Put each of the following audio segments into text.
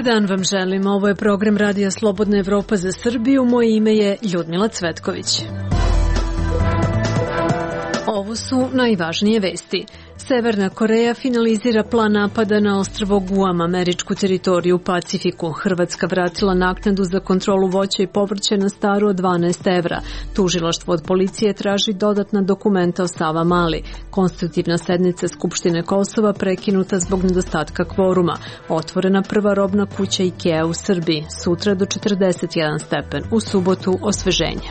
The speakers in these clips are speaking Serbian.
dan vam želim. Ovo je program Radija Slobodna Evropa za Srbiju. Moje ime je Ljudmila Cvetković. Ovo su najvažnije vesti. Severna Koreja finalizira plan napada na ostrvo Guam, američku teritoriju u Pacifiku. Hrvatska vratila naknadu za kontrolu voća i povrća na staru od 12 evra. Tužilaštvo od policije traži dodatna dokumenta o Savamali. Konstitutivna sednica Skupštine Kosova prekinuta zbog nedostatka kvoruma. Otvorena prva robna kuća IKEA u Srbiji. Sutra do 41 stepen. U subotu osveženje.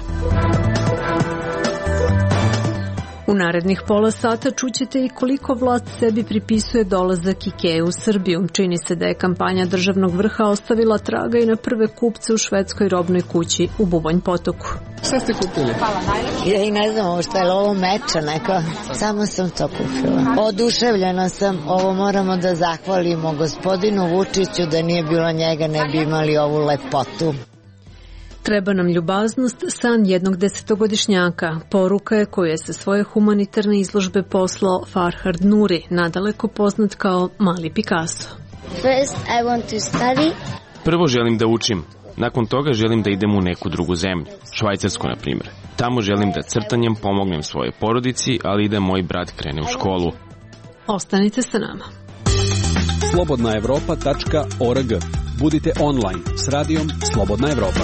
U narednih pola sata čućete i koliko vlast sebi pripisuje dolazak IKEA u Srbiju. Čini se da je kampanja državnog vrha ostavila traga i na prve kupce u švedskoj robnoj kući u Bubanj Potoku. Šta ste kupili? Hvala najlepše. Ja i ne znam šta je ovo meča neka. Samo sam to kupila. Oduševljena sam. Ovo moramo da zahvalimo gospodinu Vučiću, da nije bilo njega ne bi imali ovu lepotu. Treba nam ljubaznost, san jednog 10-godišnjaka. Poruka je koju je sa svoje humanitarne izložbe poslao Farhad Nuri, nadaleko poznat kao Mali Picasso. First, I want to study. Prvo želim da učim. Nakon toga želim da idem u neku drugu zemlju, Švajcarsku na primjer. Tamo želim da crtanjem pomognem svojoj porodici, ali i da moj brat krene u školu. Ostanite sa nama. slobodnaevropa.org. Budite online s radijom Slobodna Evropa.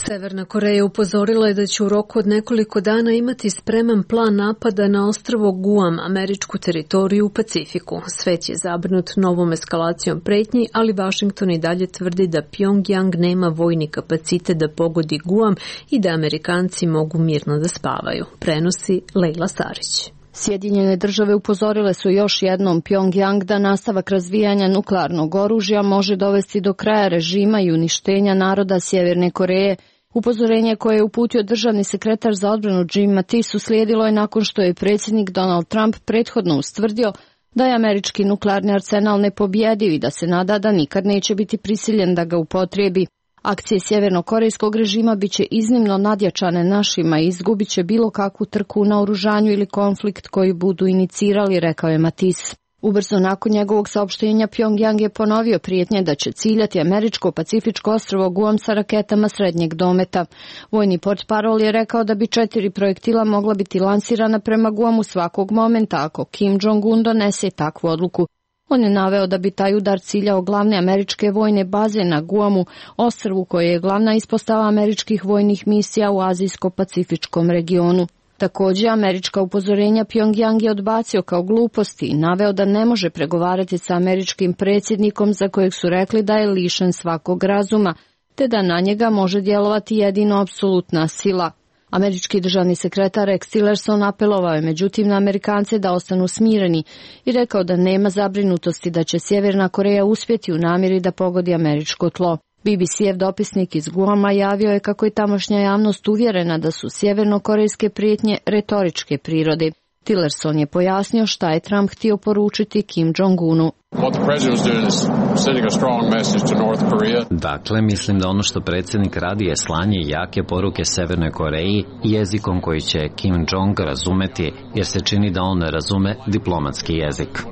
Severna Koreja upozorila je da će u roku od nekoliko dana imati spreman plan napada na ostrvo Guam, američku teritoriju u Pacifiku. Svet je zabrinut novom eskalacijom pretnji, ali Vašington i dalje tvrdi da Pjongjang nema vojni kapacitet da pogodi Guam i da Amerikanci mogu mirno da spavaju. Prenosi Lejla Starić. Sjedinjene države upozorile su još jednom Pjongjang da nastavak razvijanja nuklearnog oružja može dovesti do kraja režima i uništenja naroda Sjeverne Koreje. Upozorenje koje je uputio državni sekretar za odbranu Jim Mattis uslijedilo je nakon što je predsjednik Donald Trump prethodno ustvrdio da je američki nuklearni arsenal nepobjediv i da se nada da nikad neće biti prisiljen da ga upotrijebi. Akcije sjevernokorejskog režima biće iznimno nadjačane našima i izgubit će bilo kakvu trku na oružanju ili konflikt koji budu inicirali, rekao je Mattis. Ubrzo nakon njegovog saopštenja Pjongjang je ponovio prijetnje da će ciljati američko-pacifičko ostrvo Guam sa raketama srednjeg dometa. Vojni portparol je rekao da bi 4 projektila mogla biti lansirana prema Guamu svakog momenta ako Kim Jong-un donese takvu odluku. On je naveo da bi taj udar ciljao glavne američke vojne baze na Guamu, ostrvu koje je glavna ispostava američkih vojnih misija u azijsko-pacifičkom regionu. Također, američka upozorenja Pjongjang je odbacio kao gluposti i naveo da ne može pregovarati sa američkim predsjednikom za kojeg su rekli da je lišen svakog razuma, te da na njega može djelovati jedino apsolutna sila. Američki državni sekretar Rex Tillerson apelovao je međutim na Amerikance da ostanu smireni i rekao da nema zabrinutosti da će Sjeverna Koreja uspjeti u namjeri da pogodi američko tlo. BBC-ev dopisnik iz Guama javio je kako je tamošnja javnost uvjerena da su sjevernokorejske prijetnje retoričke prirode. Tillerson je pojasnio šta je Trump htio poručiti Kim Jong-unu. Dakle, mislim da ono što predsjednik radi je slanje jake poruke Severnoj Koreji jezikom koji će Kim Jong razumeti, jer se čini da on ne razume diplomatski jezik.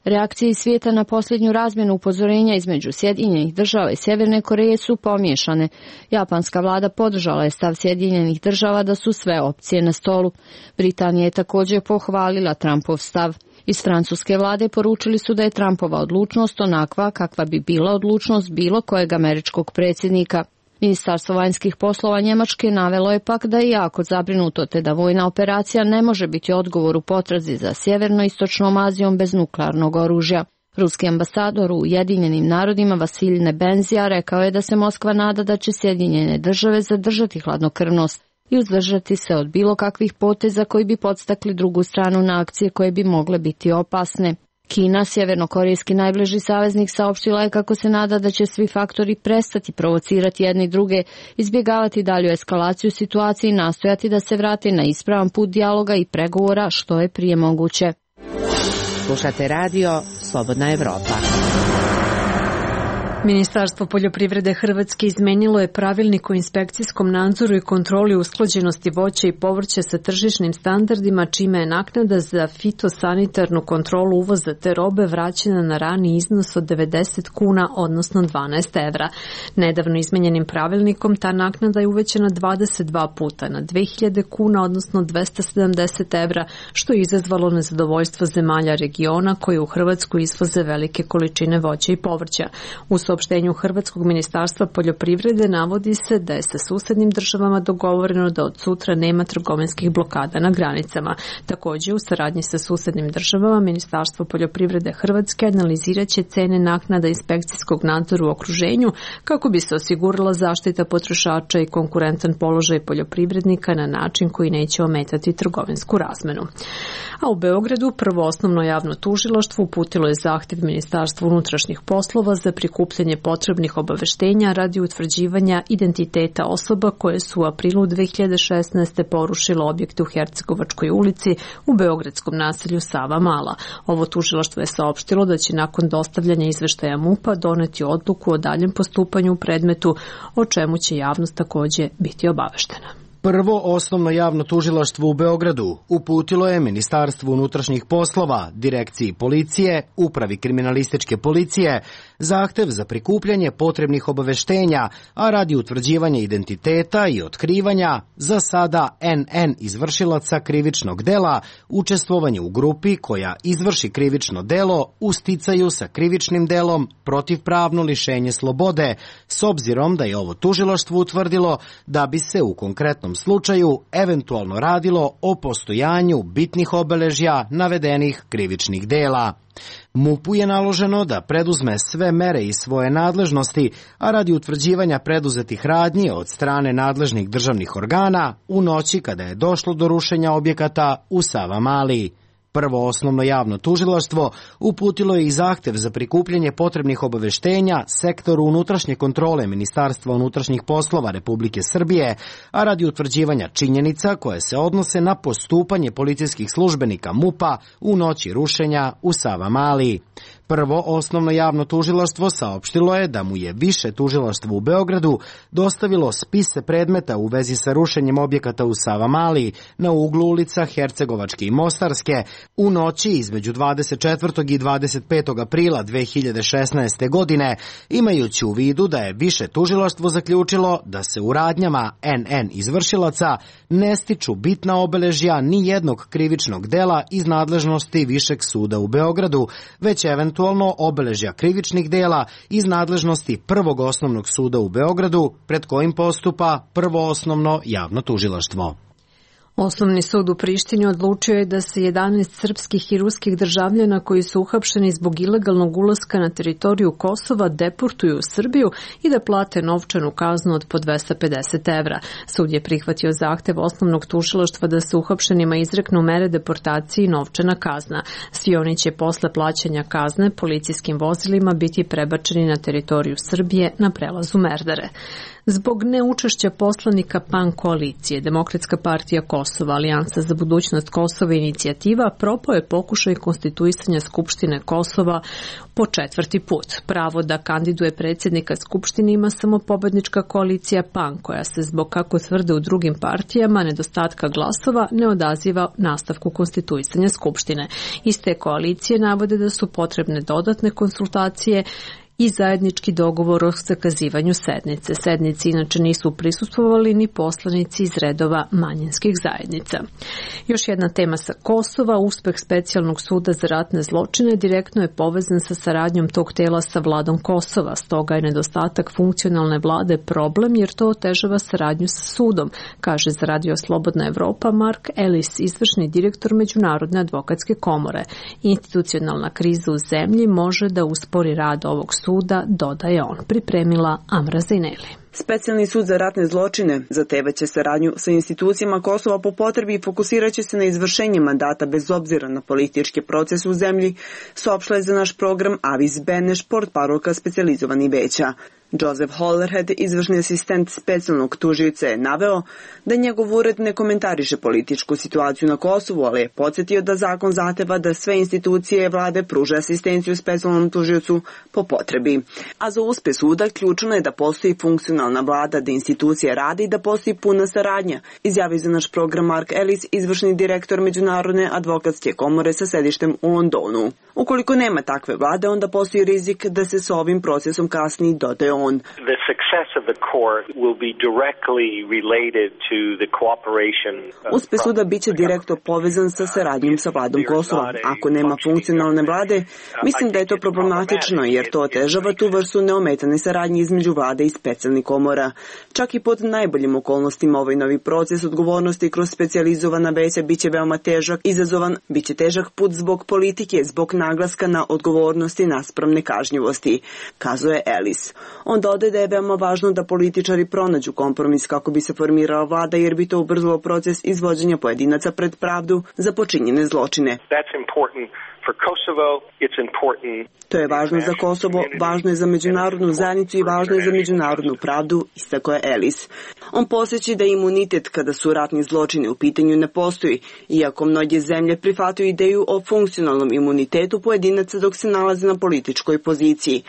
Reakcije iz svijeta na posljednju razmjenu upozorenja između Sjedinjenih država i Sjeverne Koreje su pomiješane. Japanska vlada podržala je stav Sjedinjenih država da su sve opcije na stolu. Britanija je također pohvalila Trumpov stav. Iz francuske vlade poručili su da je Trumpova odlučnost onakva kakva bi bila odlučnost bilo kojeg američkog predsjednika. Ministarstvo vanjskih poslova Njemačke navelo je pak da je jako zabrinuto te da vojna operacija ne može biti odgovor u potrazi za sjeverno-istočnom Azijom bez nuklearnog oružja. Ruski ambasador u Ujedinjenim narodima Vasilij Nebenzija rekao je da se Moskva nada da će Sjedinjene države zadržati hladnokrvnost i uzdržati se od bilo kakvih poteza koji bi podstakli drugu stranu na akcije koje bi mogle biti opasne. Kina, sjevernokorejski najbliži saveznik, saopštila je kako se nada da će svi faktori prestati provocirati jedni druge, izbjegavati dalju eskalaciju situacije i nastojati da se vrate na ispravan put dijaloga i pregovora što je prije moguće. Slušate radio Slobodna Evropa. Ministarstvo poljoprivrede Hrvatske izmenilo je pravilnik o inspekcijskom nadzoru i kontroli usklađenosti voća i povrća sa tržišnim standardima, čime je naknada za fitosanitarnu kontrolu uvoza te robe vraćena na rani iznos od 90 kuna, odnosno 12 evra. Nedavno izmenjenim pravilnikom ta naknada je uvećana 22 puta na 2000 kuna, odnosno 270 evra, što je izazvalo nezadovoljstvo zemalja regiona koje u Hrvatsku izvoze velike količine voća i povrća. U saopštenju Hrvatskog ministarstva poljoprivrede navodi se da je sa susednim državama dogovoreno da od sutra nema trgovinskih blokada na granicama. Također, u saradnji sa susednim državama, Ministarstvo poljoprivrede Hrvatske analizirat će cene naknada inspekcijskog nadzora u okruženju kako bi se osigurala zaštita potrošača i konkurentan položaj poljoprivrednika na način koji neće ometati trgovinsku razmenu. A u Beogradu Prvo osnovno javno tužilaštvo uputilo je zahtjev Ministarstvu unutrašnjih poslova za prikupljanje potrebnih obaveštenja radi utvrđivanja identiteta osoba koje su u aprilu 2016. porušile objekte u Hercegovačkoj ulici u beogradskom naselju Sava Mala. Ovo tužilaštvo je saopštilo da će nakon dostavljanja izveštaja MUP-a doneti odluku o daljem postupanju u predmetu, o čemu će javnost također biti obaveštena. Prvo osnovno javno tužilaštvo u Beogradu uputilo je Ministarstvu unutrašnjih poslova, Direkciji policije, Upravi kriminalističke policije, zahtev za prikupljanje potrebnih obaveštenja, a radi utvrđivanja identiteta i otkrivanja za sada NN izvršilaca krivičnog dela, učestvovanje u grupi koja izvrši krivično delo u sticaju sa krivičnim delom protivpravno lišenje slobode, s obzirom da je ovo tužilaštvo utvrdilo da bi se u konkretnom slučaju eventualno radilo o postojanju bitnih obeležja navedenih krivičnih dela. MUP-u je naloženo da preduzme sve mere iz svoje nadležnosti, a radi utvrđivanja preduzetih radnji od strane nadležnih državnih organa u noći kada je došlo do rušenja objekata u Sava Mali. Prvo osnovno javno tužilaštvo uputilo je i zahtev za prikupljanje potrebnih obaveštenja Sektoru unutrašnje kontrole Ministarstva unutrašnjih poslova Republike Srbije, a radi utvrđivanja činjenica koje se odnose na postupanje policijskih službenika MUP-a u noći rušenja u Sava Mali. Prvo osnovno javno tužilaštvo saopštilo je da mu je više tužilaštvo u Beogradu dostavilo spise predmeta u vezi sa rušenjem objekata u Sava Mali na uglu ulica Hercegovačke i Mostarske u noći između 24. i 25. aprila 2016. godine, imajući u vidu da je više tužilaštvo zaključilo da se u radnjama NN izvršilaca ne stiču bitna obeležja ni jednog krivičnog dela iz nadležnosti Višeg suda u Beogradu, već eventualno obeležja krivičnih dela iz nadležnosti Prvog osnovnog suda u Beogradu, pred kojim postupa Prvo osnovno javno tužilaštvo. Osnovni sud u Prištini odlučio je da se 11 srpskih i ruskih državljana koji su uhapšeni zbog ilegalnog ulaska na teritoriju Kosova deportuju u Srbiju i da plate novčanu kaznu od po 250 evra. Sud je prihvatio zahtev osnovnog tužilaštva da se uhapšenima izreknu mere deportacije i novčana kazna. Svi oni će posle plaćanja kazne policijskim vozilima biti prebačeni na teritoriju Srbije na prelazu Merdare. Zbog neučešća poslanika PAN koalicije, Demokratska partija Kosova, Alijansa za budućnost Kosova i inicijativa, propao je pokušaj konstituisanja Skupštine Kosova po 4. put. Pravo da kandiduje predsjednika Skupštine ima samo pobednička koalicija PAN, koja se zbog, kako tvrde u drugim partijama, nedostatka glasova ne odaziva nastavku konstituisanja Skupštine. Iz te koalicije navode da su potrebne dodatne konsultacije i zajednički dogovor o zakazivanju sednice. Sednici inače nisu prisustvovali ni poslanici iz redova manjinskih zajednica. Još jedna tema sa Kosova, uspeh specijalnog suda za ratne zločine direktno je povezan sa saradnjom tog tela sa vladom Kosova. Stoga je nedostatak funkcionalne vlade problem jer to otežava saradnju sa sudom, kaže za Radio Slobodna Evropa Mark Ellis, izvršni direktor Međunarodne advokatske komore. Institucionalna kriza u zemlji može da uspori rad ovog suda, dodaje on, pripremila Amra Zineli. Specijalni sud za ratne zločine zahtevaće saradnju sa institucijama Kosova po potrebi i fokusiraće se na izvršenje mandata bez obzira na politički proces u zemlji, saopštila je za naš program Avis Beneš, portparolka specijalizovani veća. Joseph Hollerhead, izvršni asistent specijalnog tužioca, je naveo da njegov ured ne komentariše političku situaciju na Kosovu, ali je podsjetio da zakon zahteva da sve institucije vlade pruže asistenciju specijalnom tužiocu po potrebi. A za uspeh suda ključno je da postoji funkcionalna vlada, da institucije rade i da postoji puna saradnja, izjavio za naš program Mark Ellis, izvršni direktor Međunarodne advokatske komore sa sedištem u Londonu. Ukoliko nema takve vlade, onda postoji rizik da se sa ovim procesom kasni, dodaje on. Uspeh suda biće direktno povezan sa saradnjom sa vladom Kosova. Ako nema funkcionalne vlade, mislim da je to problematično jer to otežava tu vrstu neometane saradnje između vlade i specijalnih komora. Čak i pod najboljim okolnostima ovaj novi proces odgovornosti kroz specijalizovana veća biće veoma težak, izazovan, biće težak put zbog politike, zbog naglaska na odgovornosti naspram nekažnjivosti, kazuje Ellis. On dodaje da je veoma važno da političari pronađu kompromis kako bi se formirala vlada jer bi to ubrzalo proces izvođenja pojedinaca pred pravdu za počinjene zločine. To je važno za Kosovo, važno je za međunarodnu zajednicu i važno je za međunarodnu pravdu, istakao je Ellis. On podsjeća da imunitet kada su ratni zločini u pitanju ne postoji, iako mnoge zemlje prihvataju ideju o funkcionalnom imunitetu pojedinaca dok se nalaze na političkoj poziciji.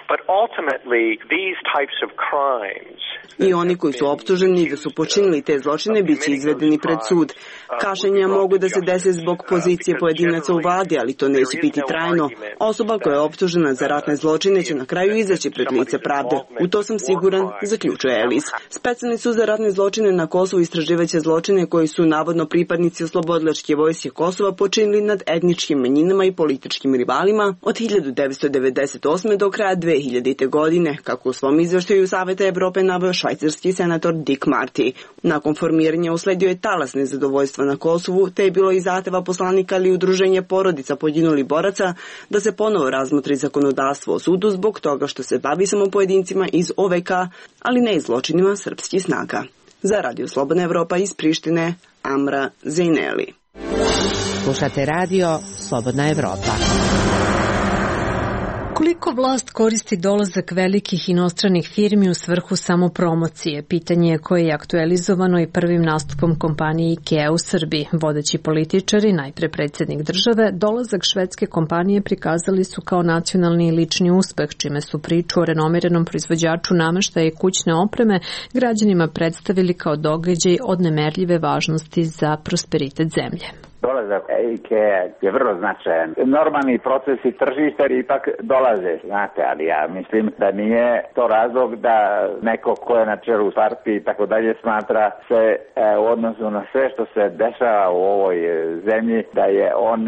I oni koji su optuženi da su počinili te zločine biće izvedeni pred sud. Kašnjenja mogu da se dese zbog pozicije pojedinaca u vladi, ali to neće biti trajno. Osoba koja je optužena za ratne zločine će na kraju izaći pred lice pravde. U to sam siguran, zaključuje Ellis. Specijalni sud za ratne zločine na Kosovu istraživaće zločine koji su navodno pripadnici oslobodilačke vojske Kosova počinili nad etničkim manjinama i političkim rivalima od 1998. do kraja 2000. godine, kako u svom izveštaju Saveta Evrope naveo švajcarski senator Dick Marty. Nakon formiranja usledio je talas nezadovoljstva na Kosovu, te je bilo i zahteva poslanika ili udruženja porodica poginulih boraca da se ponovo razmotri zakonodavstvo o sudu zbog toga što se bavi samo pojedincima iz OVK, ali ne i zločinima srpskih snaga. Za Radio Slobodna Evropa iz Prištine, Amra Zejneli. Slušate Radio Slobodna Evropa. Koliko vlast koristi dolazak velikih inostranih firmi u svrhu samopromocije? Pitanje je koje je aktualizovano i prvim nastupom kompanije IKEA u Srbiji. Vodeći političari, najpre predsjednik države, dolazak švedske kompanije prikazali su kao nacionalni i lični uspeh, čime su priču o renomiranom proizvođaču nameštaja i kućne opreme građanima predstavili kao događaj od nemerljive važnosti za prosperitet zemlje. Dolazak IKEA je vrlo značajan. Normalni procesi tržišta ipak dolaze, znate, ali ja mislim da nije to razlog da neko ko je na čelu partije i tako dalje smatra se u odnosu na sve što se dešava u ovoj zemlji da je on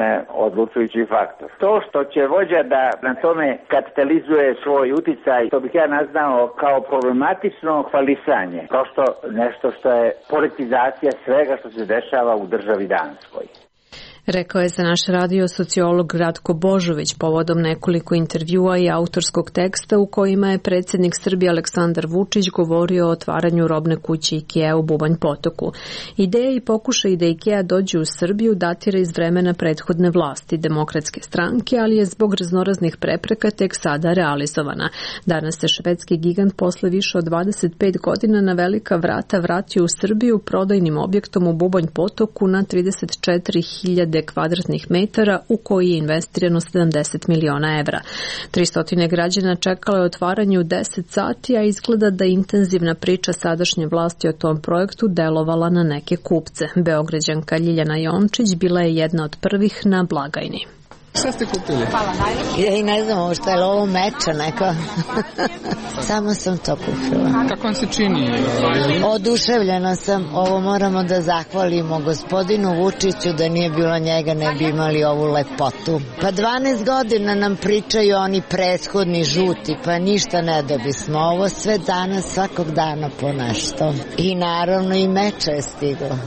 odlučujući faktor. To što će vođa da na tome kapitalizuje svoj uticaj, to bih ja nazvao kao problematično hvalisanje. Prosto nešto što je politizacija svega što se dešava u državi Danskoj. Rekao je za naš radio sociolog Ratko Božović povodom nekoliko intervjua i autorskog teksta u kojima je predsjednik Srbije Aleksandar Vučić govorio o otvaranju robne kuće IKEA u Bubanj Potoku. Ideja i pokušaj da IKEA dođe u Srbiju datira iz vremena prethodne vlasti Demokratske stranke, ali je zbog raznoraznih prepreka tek sada realizovana. Danas se švedski gigant posle više od 25 godina na velika vrata vratio u Srbiju prodajnim objektom u Bubanj Potoku na 34.000 kvadratnih metara u koji je investirano 70 miliona evra. 300 građana čekalo je otvaranje u 10 sati, a izgleda da intenzivna priča sadašnje vlasti o tom projektu delovala na neke kupce. Beograđanka Ljiljana Jončić bila je jedna od prvih na blagajni. Šta ste kupili? Ja i ne znam šta je ovo meča neko. Samo sam to kupila. Kako vam se čini? Oduševljena sam. Ovo moramo da zahvalimo gospodinu Vučiću, da nije bilo njega ne bi imali ovu lepotu. Pa 12 godina nam pričaju oni prethodni žuti, pa ništa ne dobismo. Ovo sve danas, svakog dana po nešto. I naravno i meče je stiglo.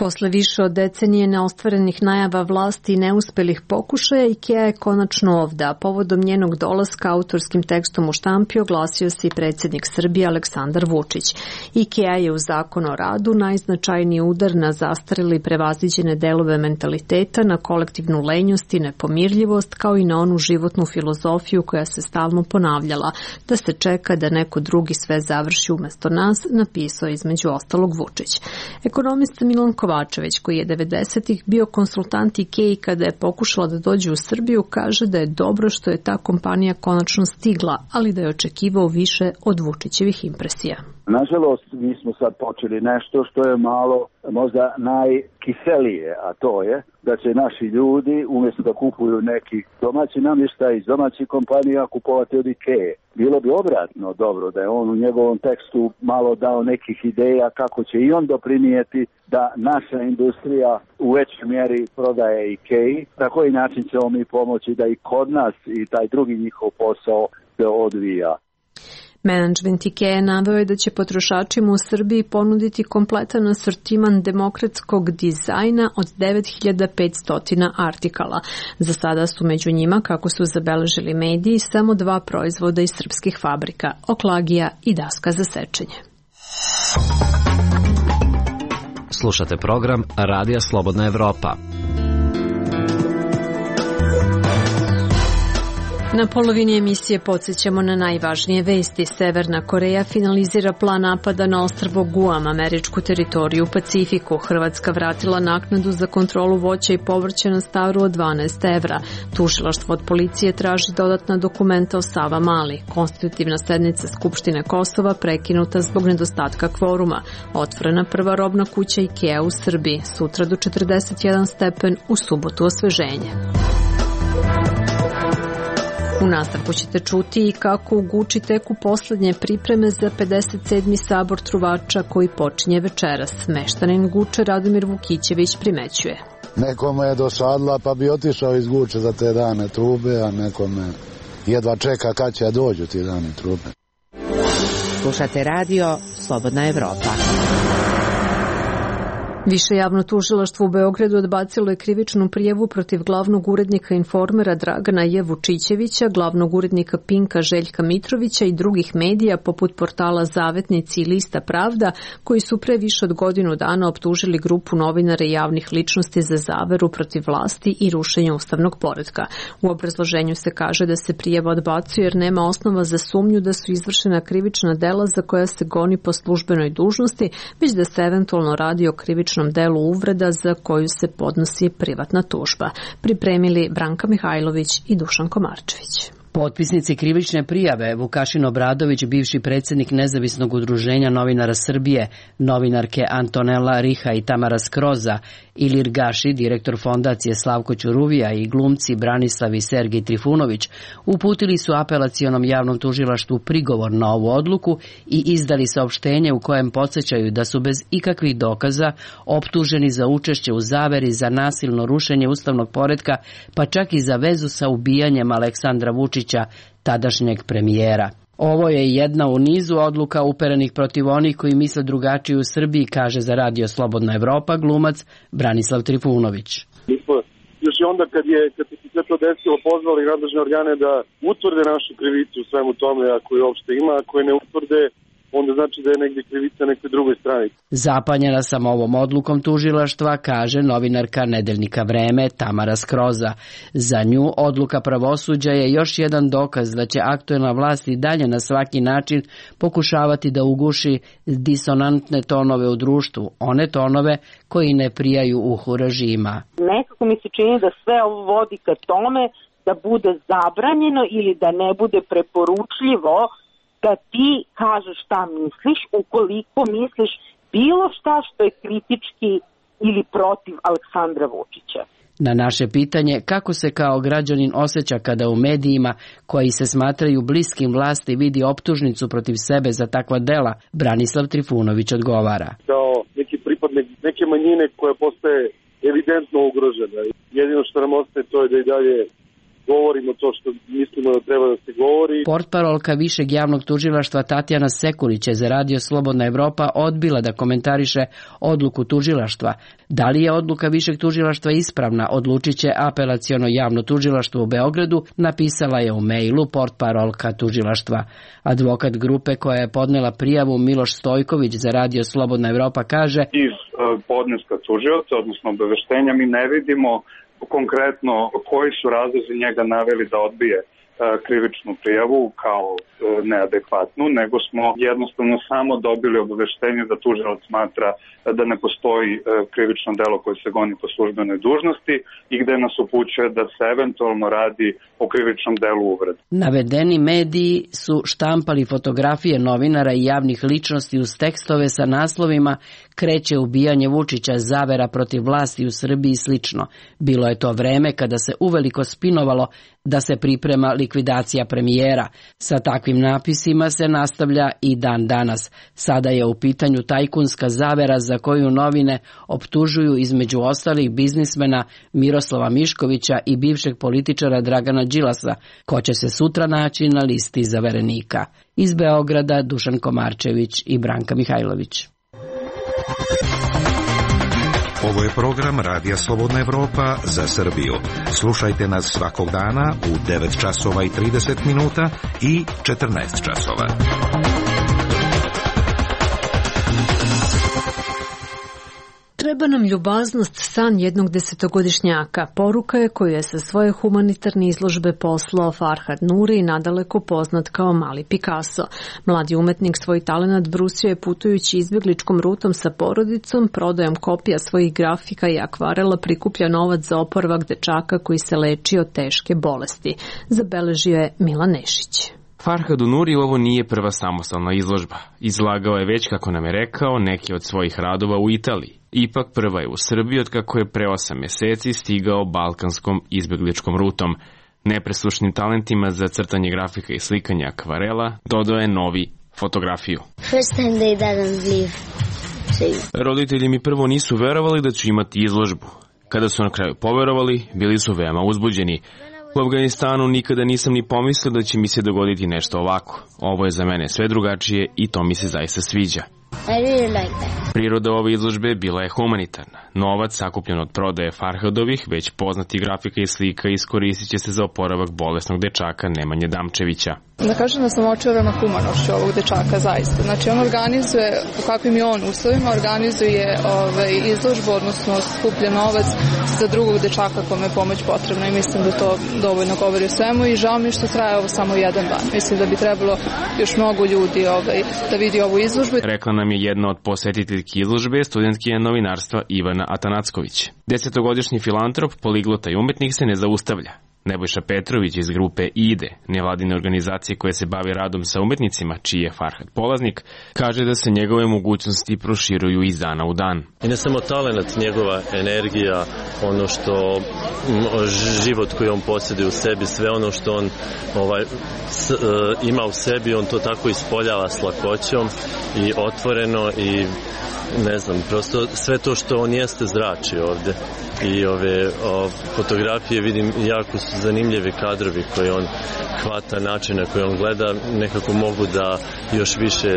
Posle više od decenije neostvarenih najava vlasti i neuspelih pokušaja, IKEA je konačno ovde, a povodom njenog dolaska autorskim tekstom u štampi oglasio se i predsjednik Srbije Aleksandar Vučić. IKEA je u Zakon o radu najznačajniji udar na zastarele i prevaziđene delove mentaliteta, na kolektivnu lenjost i nepomirljivost, kao i na onu životnu filozofiju koja se stalno ponavljala, da se čeka da neko drugi sve završi umesto nas, napisao između ostalog Vučić. Ekonomista Milan Kovačević, koji je 90-ih bio konsultant IKEA kada je pokušala da dođe u Srbiju, kaže da je dobro što je ta kompanija konačno stigla, ali da je očekivao više od Vučićevih impresija. Nažalost, mi smo sad počeli nešto što je malo možda najkiselije, a to je da će naši ljudi umjesto da kupuju neki domaći namještaj iz domaćih kompanija kupovati od IKEA. Bilo bi obratno dobro da je on u njegovom tekstu malo dao nekih ideja kako će i on doprinijeti da naša industrija u većoj mjeri prodaje IKEA. Na koji način ćemo mi pomoći da i kod nas i taj drugi njihov posao se odvija. Menadžment IKEA naveo je da će potrošačima u Srbiji ponuditi kompletan asortiman demokratskog dizajna od 9500 artikala. Za sada su među njima, kako su zabeležili mediji, samo 2 proizvoda iz srpskih fabrika, oklagija i daska za sečenje. Slušate program Radija Slobodna Evropa. Na polovini emisije podsjećamo na najvažnije vesti. Severna Koreja finalizira plan napada na ostrvo Guam, američku teritoriju u Pacifiku. Hrvatska vratila naknadu za kontrolu voća i povrća na staru od 12 evra. Tužilaštvo od policije traži dodatna dokumenta o Savamali. Konstitutivna sednica Skupštine Kosova prekinuta zbog nedostatka kvoruma. Otvorena prva robna kuća IKEA u Srbiji. Sutra do 41 stepen, u subotu osveženje. U nastavku ćete čuti i kako u Guči teku poslednje pripreme za 57. sabor truvača koji počinje večeras. Meštanin Guče Radomir Vukićević primećuje. Nekome je dosadla pa bi otišao iz Guče za te dane trube, a nekome jedva čeka kad će dođu ti dane trube. Slušate radio Slobodna Evropa. Više javno tužilaštvo u Beogradu odbacilo je krivičnu prijavu protiv glavnog urednika Informera Dragana J. Vučićevića, glavnog urednika Pinka Željka Mitrovića i drugih medija poput portala Zavetnici i Lista Pravda, koji su pre više od godinu dana optužili grupu novinara i javnih ličnosti za zaveru protiv vlasti i rušenje ustavnog poretka. U obrazloženju se kaže da se prijava odbacuje jer nema osnova za sumnju da su izvršena krivična dela za koja se goni po službenoj dužnosti, već da se eventualno radi o krivičnom delu uvreda za koju se podnosi privatna tužba. Pripremili Branka Mihajlović i Dušan Komarčević. Potpisnici krivične prijave Vukašin Obradović, bivši predsjednik Nezavisnog udruženja novinara Srbije, novinarke Antonela Riha i Tamara Skroza, Ilir Gaši, direktor fondacije Slavko Ćuruvija i glumci Branislav i Sergij Trifunović, uputili su apelacionom javnom tužilaštvu prigovor na ovu odluku i izdali saopštenje u kojem podsjećaju da su bez ikakvih dokaza optuženi za učešće u zaveri za nasilno rušenje ustavnog poretka, pa čak i za vezu sa ubijanjem Aleksandra Vučića, tadašnjeg premijera. Ovo je jedna u nizu odluka uperenih protiv onih koji misle drugačije u Srbiji, kaže za Radio Slobodna Evropa glumac Branislav Trifunović. Mi smo još i onda kad se sve to desilo pozvali nadležne organe da utvrde našu krivicu u svemu tome, ako je uopšte ima, ako je ne utvrde, onda znači da je negdje krivica nekoj drugoj strani. Zapanjena sam ovom odlukom tužilaštva, kaže novinarka Nedeljnika Vreme Tamara Skroza. Za nju odluka pravosuđa je još jedan dokaz da će aktuelna vlast i dalje na svaki način pokušavati da uguši disonantne tonove u društvu, one tonove koji ne prijaju uhu režima. Nekako mi se čini da sve ovo vodi ka tome da bude zabranjeno ili da ne bude preporučljivo da ti kažeš šta misliš, ukoliko misliš bilo šta što je kritički ili protiv Aleksandra Vučića. Na naše pitanje kako se kao građanin osjeća kada u medijima koji se smatraju bliskim vlasti vidi optužnicu protiv sebe za takva dela, Branislav Trifunović odgovara. Kao neki pripadnik neke manjine koja postaje evidentno ugrožena. Jedino što nam ostaje to je da i dalje govorimo to što mislimo da treba da se govori. Portparolka Višeg javnog tužilaštva Tatjana Sekulić je za Radio Slobodna Evropa odbila da komentariše odluku tužilaštva. Da li je odluka Višeg tužilaštva ispravna, odlučit će Apelaciono javno tužilaštvo u Beogradu, napisala je u mejlu portparolka tužilaštva. Advokat grupe koja je podnela prijavu Miloš Stojković za Radio Slobodna Evropa kaže: iz podneska tužioca, odnosno obaveštenja, mi ne vidimo konkretno koji su razlozi njega naveli da odbije krivičnu prijavu kao neadekvatnu, nego smo jednostavno samo dobili obaveštenje da tužilac smatra da ne postoji krivično delo koje se goni po službenoj dužnosti i gde nas upućuje da se eventualno radi o krivičnom delu uvrede. Navedeni mediji su štampali fotografije novinara i javnih ličnosti uz tekstove sa naslovima "Kreće ubijanje Vučića, zavera protiv vlasti u Srbiji" i slično. Bilo je to vreme kada se uveliko spinovalo da se priprema likvidacija premijera. Sa takvim napisima se nastavlja i dan danas. Sada je u pitanju tajkunska zavera za koju novine optužuju između ostalih biznismena Miroslava Miškovića i bivšeg političara Dragana Đilasa, ko će se sutra naći na listi zaverenika. Iz Beograda Dušan Komarčević i Branka Mihajlović. Ovo je program Radija Slobodna Evropa za Srbiju. Slušajte nas svakog dana u 9 časova i 30 minuta i 14 časova. Treba nam ljubaznost, san jednog 10-godišnjaka. Poruka je koju je sa svoje humanitarne izložbe poslao Farhad Nuri, nadaleko poznat kao Mali Picasso. Mladi umetnik svoj talenat brusio je putujući izbjegličkom rutom sa porodicom, prodajom kopija svojih grafika i akvarela prikuplja novac za oporavak dečaka koji se leči od teške bolesti. Zabeležio je Milan Nešić. Farhadu Nuri ovo nije prva samostalna izložba. Izlagao je već, kako nam je rekao, neke od svojih radova u Italiji. Ipak prva je u Srbiji od kako je pre 8 meseci stigao balkanskom izbjegličkom rutom. Nepreslušnim talentima za crtanje grafika i slikanje akvarela dodao je novi fotografiju. Roditelji mi prvo nisu verovali da ću imati izložbu. Kada su na kraju poverovali, bili su veoma uzbuđeni. U Afganistanu nikada nisam ni pomislio da će mi se dogoditi nešto ovako. Ovo je za mene sve drugačije i to mi se zaista sviđa. Priroda ove izložbe bila je humanitarna. Novac sakupljen od prodaje Farhadovih, već poznati grafika i slika, iskoristit će se za oporavak bolesnog dečaka Nemanje Damčevića. Da kažem da sam očarana humanošću ovog dečaka, zaista. Znači on organizuje, po kakvim je on uslovima, organizuje izložbu, odnosno skuplja novac za drugog dečaka kome je pomoć potrebna i mislim da to dovoljno govori o svemu i žao mi što traje ovo samo jedan dan. Mislim da bi trebalo još mnogo ljudi da vidi ovu izložbu. Rekla nam je jedna od posjetiteljki izložbe, studentkinja novinarstva Ivana Atanacković. 10-godišnji filantrop, poliglota i umetnik se ne zaustavlja. Nebojša Petrović iz grupe IDE, nevladine organizacije koje se bavi radom sa umetnicima, čiji je Farhad polaznik, kaže da se njegove mogućnosti proširuju iz dana u dan. I ne samo talent, njegova energija, ono što život koji on posjeduje u sebi, sve ono što on ima u sebi, on to tako ispoljava s lakoćom i otvoreno i ne znam, prosto sve to što on jeste zrači ovde. I ove fotografije vidim jako su zanimljivi kadrovi koje on hvata, način na koji on gleda, nekako mogu da još više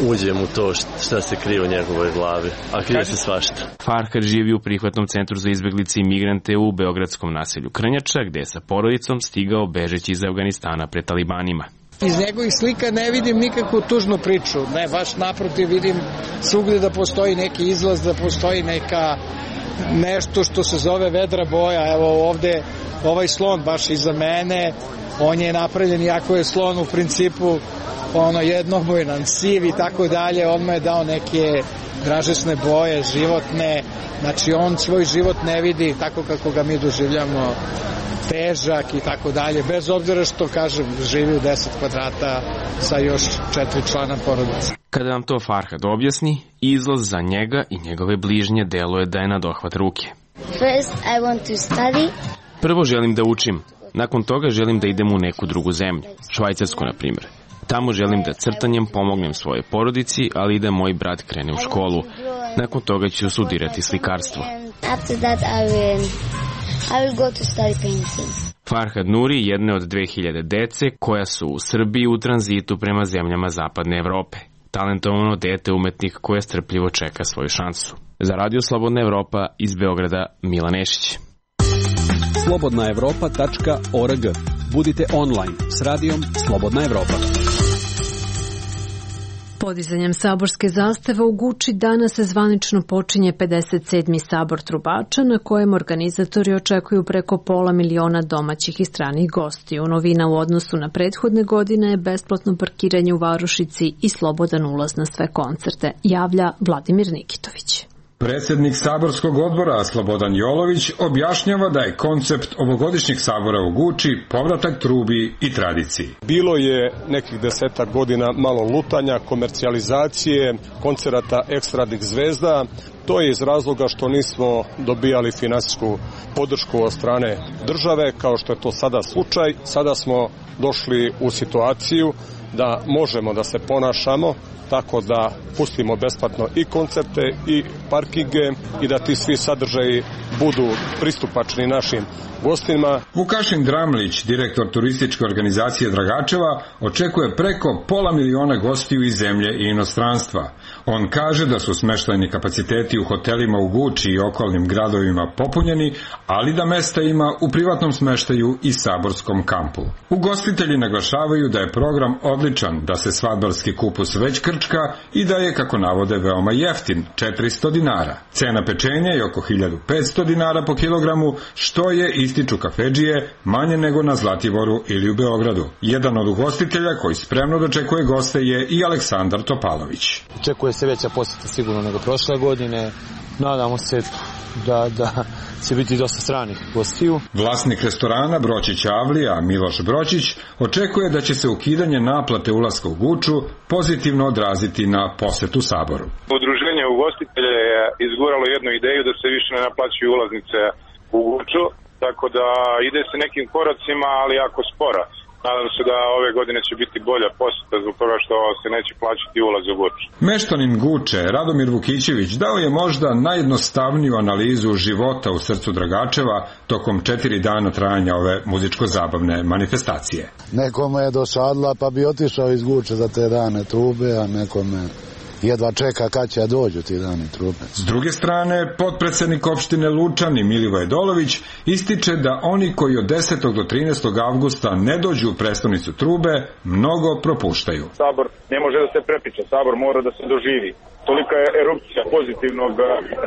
uđem u to šta se krije u njegovoj glavi, a krije se svašta. Farhad živi u prihvatnom centru za izbjeglice i migrante u beogradskom naselju Krnjača, gde je sa porodicom stigao bežeći iz Afganistana pred talibanima. Iz njegovih slika ne vidim nikakvu tužnu priču, ne, baš naprotiv vidim svugdje da postoji neki izlaz, da postoji nešto što se zove vedra boja. Evo ovde ovaj slon baš iza mene, on je napravljen, iako je slon u principu jednobojan, siv i tako dalje, on mu je dao neke dražesne boje, životne, znači on svoj život ne vidi tako kako ga mi doživljamo, težak i tako dalje, bez obzira što, kažem, živi u 10 kvadrata sa još 4 člana porodice. Kada nam to Farhad objasni, izlaz za njega i njegove bližnje deluje da je na dohvat ruke. Prvo želim da učim, nakon toga želim da idem u neku drugu zemlju, Švajcarsku na primjer. Tamo želim da crtanjem pomognem svoje porodici, ali i da moj brat krene u školu. Nakon toga ću studirati slikarstvo. Farhad Nuri jedne od 2000 dece koja su u Srbiji u tranzitu prema zemljama Zapadne Evrope. Talentovano dete umetnik koje strpljivo čeka svoju šansu. Za Radio Slobodna Evropa iz Beograda, Milan Nešić. slobodnaevropa.org. Budite online s radijom Slobodna Evropa. Podizanjem saborske zastave u Guči danas se zvanično počinje 57. sabor trubača na kojem organizatori očekuju preko 500.000 domaćih i stranih gostiju. Novina u odnosu na prethodne godine je besplatno parkiranje u varošici i slobodan ulaz na sve koncerte, javlja Vladimir Nikitović. Predsjednik saborskog odbora Slobodan Jolović objašnjava da je koncept ovogodišnjeg sabora u Guči povratak trubi i tradiciji. Bilo je nekih 10 godina malo lutanja, komercijalizacije, koncerata ekstradnih zvezda. To je iz razloga što nismo dobijali finansijsku podršku od strane države, kao što je to sada slučaj. Sada smo došli u situaciju da možemo da se ponašamo tako da pustimo besplatno i koncerte i parkinge i da ti svi sadržaji budu pristupačni našim gostima. Vukašin Dramlić, direktor turističke organizacije Dragačeva, očekuje preko 500.000 gostiju iz zemlje i inostranstva. On kaže da su smeštajni kapaciteti u hotelima u Guči i okolnim gradovima popunjeni, ali da mesta ima u privatnom smeštaju i saborskom kampu. Ugostitelji naglašavaju da je program odličan, da se svadbarski kupus već krčka i da je, kako navode, veoma jeftin, 400 dinara. Cena pečenja je oko 1500 dinara po kilogramu, što je, ističu kafedžije, manje nego na Zlatiboru ili u Beogradu. Jedan od ugostitelja koji spremno dočekuje goste je i Aleksandar Topalović. Očekuje se veća posjeta sigurno nego prošle godine. Nadamo se da će biti dosta stranih gostiju. Vlasnik restorana Bročić Avlija, Miloš Bročić, očekuje da će se ukidanje naplate ulaska u Guču pozitivno odraziti na posetu Saboru. Udruženje ugostitelja je izguralo jednu ideju da se više ne naplaćuju ulaznice u Guču, tako da ide se nekim koracima, ali jako sporo. Nadam se da ove godine će biti bolja posjeta zbog toga što se neće plaćati ulaz u Guču. Meštanin Guče, Radomir Vukićević, dao je možda najjednostavniju analizu života u srcu Dragačeva tokom 4 dana trajanja ove muzičko-zabavne manifestacije. Nekome je dosadla pa bi otišao iz Guče za te dane trube, a nekome jedva čeka kad će dođu ti dani trube. S druge strane, potpredsednik opštine Lučani Milivoje Dolović ističe da oni koji od 10. do 13. avgusta ne dođu u prestonicu trube, mnogo propuštaju. Sabor ne može da se prepriča, Sabor mora da se doživi. Tolika je erupcija pozitivnog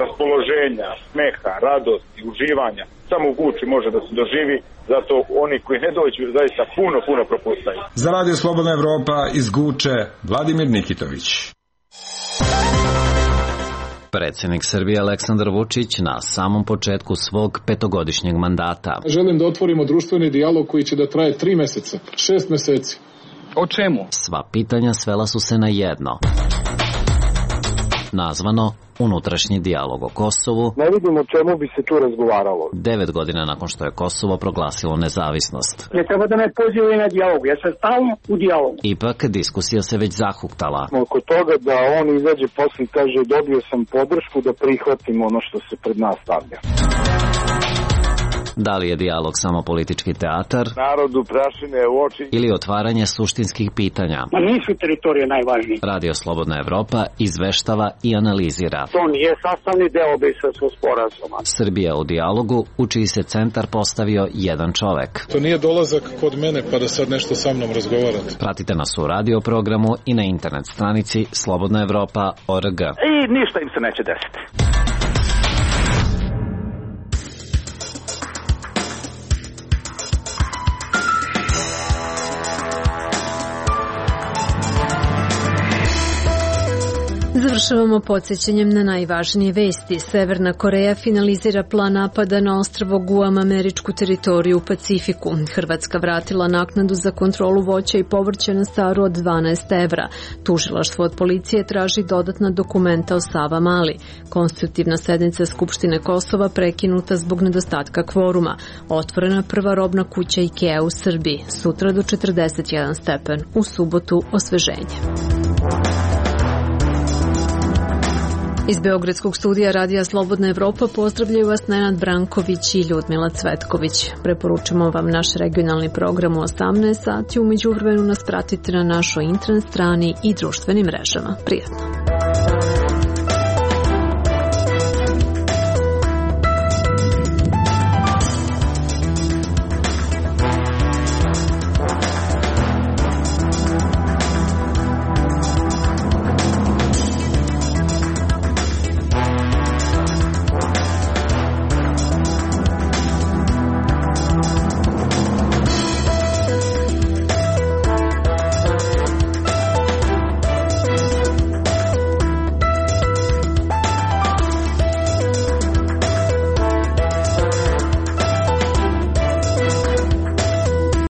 raspoloženja, smeha, radosti, uživanja. Samo u Guči može da se doživi, zato oni koji ne dođu zaista puno propuštaju. Za Radio Slobodna Evropa iz Guče, Vladimir Nikitović. Predsjednik Srbije Aleksandar Vučić na samom početku svog 5-godišnjeg mandata. Želim da otvorimo društveni dijalog koji će da traje 3 meseca, 6 meseci. O čemu? Sva pitanja svela su se na jedno. Nazvano unutrašnji dijalog o Kosovu. Ne vidim o čemu bi se tu razgovaralo. 9 godina nakon što je Kosovo proglasilo nezavisnost. Ne treba da me pozivaju na dijalog, ja sam stalno u dijalogu. Ipak diskusija se već zahuktala. Oko toga da on izađe posle i kaže dobio sam podršku da prihvatim ono što se pred nas stavlja. Da li je dijalog samo politički teatar? Narodu prašine u oči. Ili otvaranje suštinskih pitanja? Ma nisu teritorije najvažnije. Radio Slobodna Evropa izveštava i analizira. To nije sastavni deo Briselskog sporazuma. Srbija u dijalogu, u čiji se centar postavio jedan čovek. To nije dolazak kod mene pa da sad nešto sa mnom razgovarate. Pratite nas u radio programu i na internet stranici slobodnaevropa.org. I ništa im se neće desiti. Završavamo podsjećanjem na najvažnije vesti. Severna Koreja finalizira plan napada na ostrvo Guam, američku teritoriju u Pacifiku. Hrvatska vratila naknadu za kontrolu voća i povrća na Staru od 12 evra. Tužilaštvo od policije traži dodatna dokumenta o Savamali. Konstitutivna sednica Skupštine Kosova prekinuta zbog nedostatka kvoruma. Otvorena prva robna kuća IKEA u Srbiji. Sutra do 41 stepen. U subotu osveženje. Iz Beogradskog studija Radija Slobodna Evropa pozdravljaju vas Nenad Branković i Ljudmila Cvetković. Preporučujemo vam naš regionalni program u 18 sati. U međuvremenu nas pratite na našoj internet strani i društvenim mrežama. Prijatno!